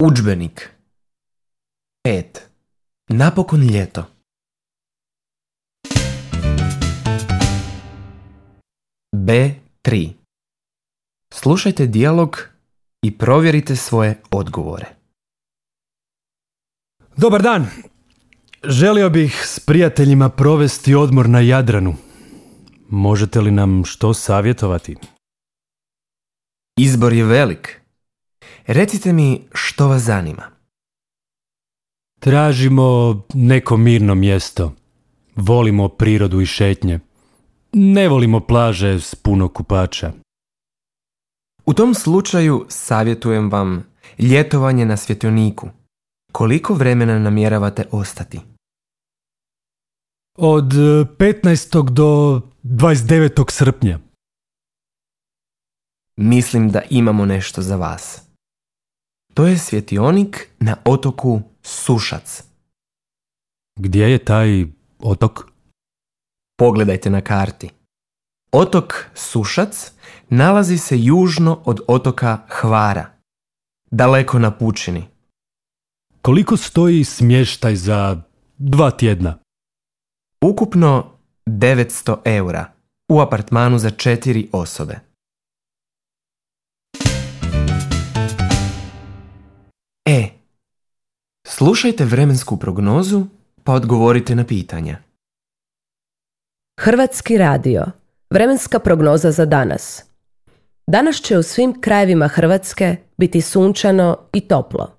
Udžbenik 5. Napokon ljeto. B3. Slušajte dijalog i provjerite svoje odgovore. Dobar dan. Želio bih s prijateljima provesti odmor na Jadranu. Možete li nam što savjetovati? Izbor je velik. Recite mi što vas zanima. Tražimo neko mirno mjesto. Volimo prirodu i šetnje. Ne volimo plaže s puno kupača. U tom slučaju savjetujem vam ljetovanje na svjetioniku. Koliko vremena namjeravate ostati? Od 15. do 29. srpnja. Mislim da imamo nešto za vas. To je svjetionik na otoku Sušac. Gdje je taj otok? Pogledajte na karti. Otok Sušac nalazi se južno od otoka Hvara, daleko na pučini. Koliko stoji smještaj za 2 tjedna? Ukupno 900 eura u apartmanu za 4 osobe. Slušajte vremensku prognozu pa odgovorite na pitanja. Hrvatski radio. Vremenska prognoza za danas. Danas će u svim krajevima Hrvatske biti sunčano i toplo.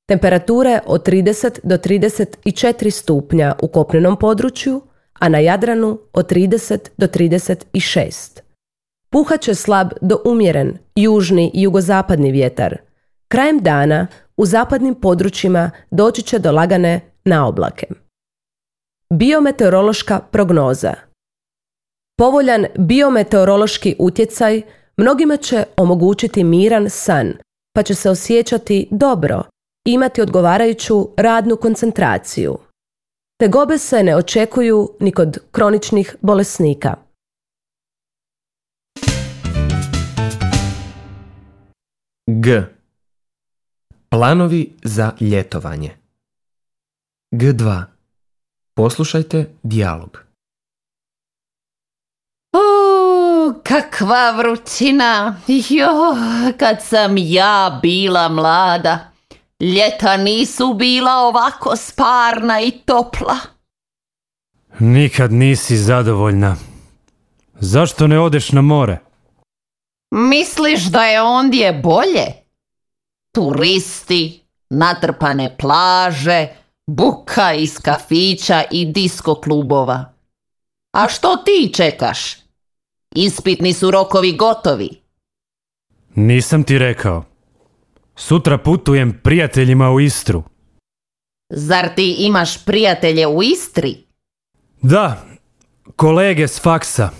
Temperature od 30 do 34 stupnja u kopnenom području, a na Jadranu od 30 do 36. Puhat će slab do umjeren južni i jugozapadni vjetar. Krajem dana u zapadnim područjima doći će do lagane naoblake. Biometeorološka prognoza. Povoljan biometeorološki utjecaj mnogima će omogućiti miran san, pa će se osjećati dobro i imati odgovarajuću radnu koncentraciju. Tegobe se ne očekuju ni kod kroničnih bolesnika. G. Planovi za ljetovanje. G2. Poslušajte dijalog. Kakva vrućina! Kad sam ja bila mlada, ljeta nisu bila ovako sparna i topla. Nikad nisi zadovoljna. Zašto ne odeš na more? Misliš da je ondje bolje? Turisti, natrpane plaže, buka iz kafića i disko klubova. A što ti čekaš? Ispitni su rokovi gotovi. Nisam ti rekao. Sutra putujem prijateljima u Istru. Zar ti imaš prijatelje u Istri? Da, kolege s faksa.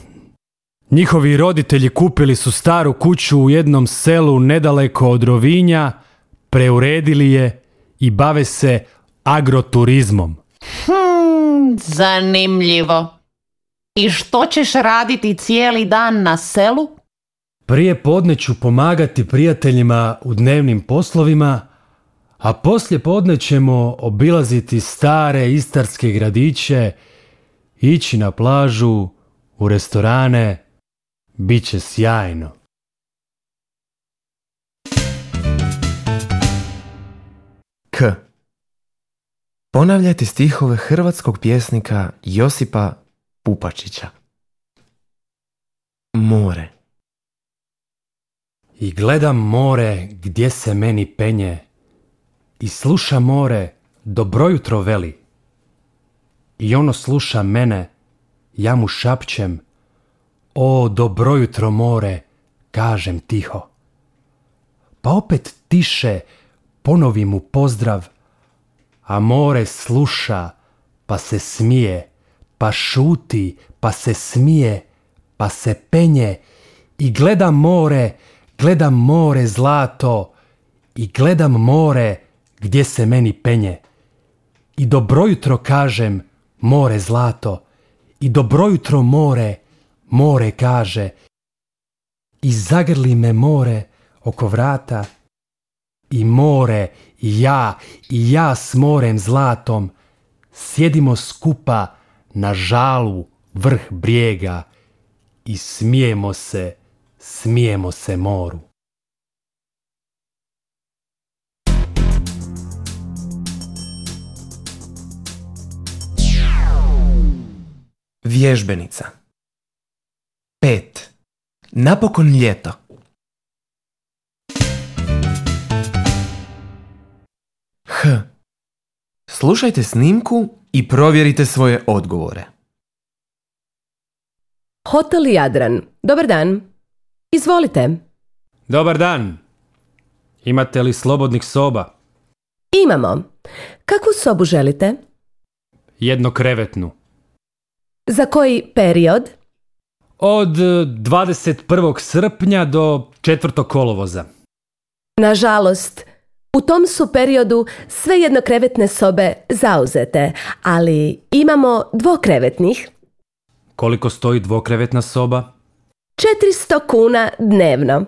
Njihovi roditelji kupili su staru kuću u jednom selu nedaleko od Rovinja, preuredili je i bave se agroturizmom. Zanimljivo. I što ćeš raditi cijeli dan na selu? Prije podne ću pomagati prijateljima u dnevnim poslovima, a poslije podne ćemo obilaziti stare istarske gradiće, ići na plažu, u restorane. Biće sjajno. K. Ponavljajte stihove hrvatskog pjesnika Josipa Pupačića. More. I gledam more gdje se meni penje, i sluša more dobro jutro veli. I ono sluša mene, ja mu šapćem, o dobro jutro more, kažem tiho. Pa opet tiše ponovi mu pozdrav, a more sluša pa se smije, pa šuti pa se smije, pa se penje. I gledam more zlato, i gledam more gdje se meni penje. I dobro jutro kažem, more zlato, i dobro jutro more kaže. I zagrli me more oko vrata, i more, i ja s morem zlatom, sjedimo skupa na žalu vrh brijega i smijemo se moru. Vježbenica. 5. Napokon ljeto. Slušajte snimku i provjerite svoje odgovore. Hotel Jadran. Dobar dan. Izvolite. Dobar dan. Imate li slobodnih soba? Imamo. Kakvu sobu želite? Jednokrevetnu. Za koji period? Od 21. srpnja do 4. kolovoza. Nažalost, u tom su periodu sve jednokrevetne sobe zauzete, ali imamo dvokrevetnih. Koliko stoji dvokrevetna soba? 400 kuna dnevno.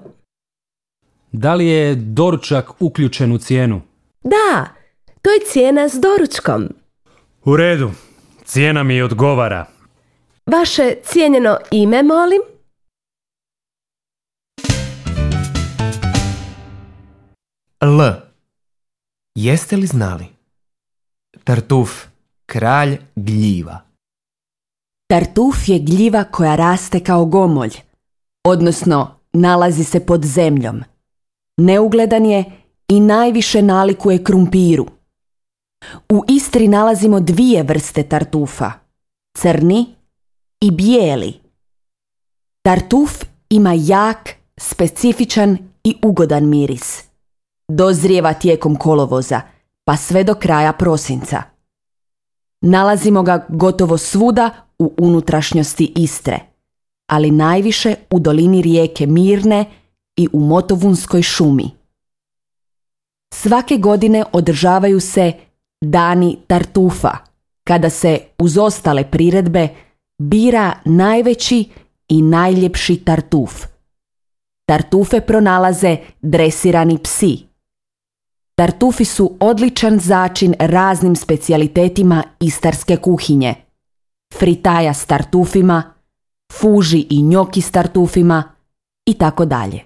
Da li je doručak uključen u cijenu? Da, to je cijena s doručkom. U redu, cijena mi odgovara. Vaše cijenjeno ime, molim? L. Jeste li znali? Tartuf, kralj gljiva. Tartuf je gljiva koja raste kao gomolj, odnosno nalazi se pod zemljom. Neugledan je i najviše nalikuje krumpiru. U Istri nalazimo 2 vrste tartufa, crni i bijeli. Tartuf ima jak, specifičan i ugodan miris. Dozrijeva tijekom kolovoza, pa sve do kraja prosinca. Nalazimo ga gotovo svuda u unutrašnjosti Istre, ali najviše u dolini rijeke Mirne i u Motovunskoj šumi. Svake godine održavaju se Dani tartufa, kada se uz ostale priredbe bira najveći i najljepši tartuf. Tartufe pronalaze dresirani psi. Tartufi su odličan začin raznim specijalitetima istarske kuhinje. Fritaja s tartufima, fuži i njoki s tartufima i tako dalje.